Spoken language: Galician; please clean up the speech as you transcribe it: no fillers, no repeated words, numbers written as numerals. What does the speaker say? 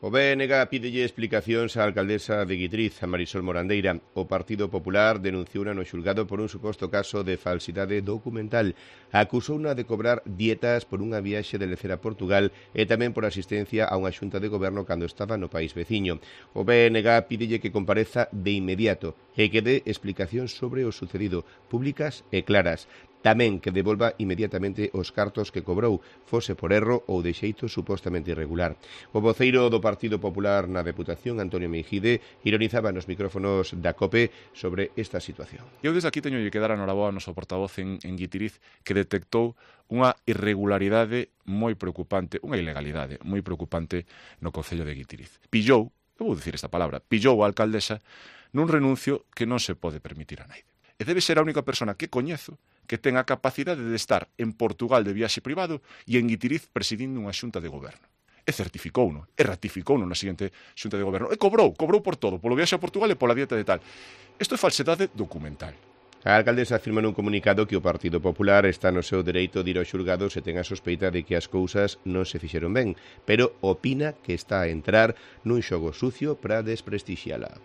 O BNG pídelle explicacións á alcaldesa de Guitriz, a Marisol Morandeira. O Partido Popular denunciou no xulgado por un suposto caso de falsidade documental. Acusouna de cobrar dietas por unha viaxe de lecer a Portugal e tamén por asistencia a unha xunta de goberno cando estaba no país veciño. O BNG pídelle que compareza de inmediato e que dé explicacións sobre o sucedido, públicas e claras. Tamén que devolva inmediatamente os cartos que cobrou, fose por erro ou de xeito supostamente irregular. O voceiro do Partido Popular na Deputación, Antonio Meijide, ironizaba nos micrófonos da COPE sobre esta situación. Eu desde aquí teño que dar a noraboa ao noso portavoz en Guitiriz, que detectou unha irregularidade moi preocupante, unha ilegalidade moi preocupante no Concello de Guitiriz. Pillou, eu vou dicir esta palabra, pillou a alcaldesa nun renuncio que non se pode permitir a naide. E debe ser a única persona que coñezo que ten a capacidade de estar en Portugal de viaxe privado e en Guitiriz presidindo unha xunta de goberno. E certificouno, e ratificouno na seguinte xunta de goberno. E cobrou por todo, polo viaxe a Portugal e pola dieta de tal. Isto é falsedade documental. A alcaldesa afirma nun comunicado que o Partido Popular está no seu dereito de ir ao xulgado se ten a sospeita de que as cousas non se fixeron ben, pero opina que está a entrar nun xogo sucio para desprestixiala.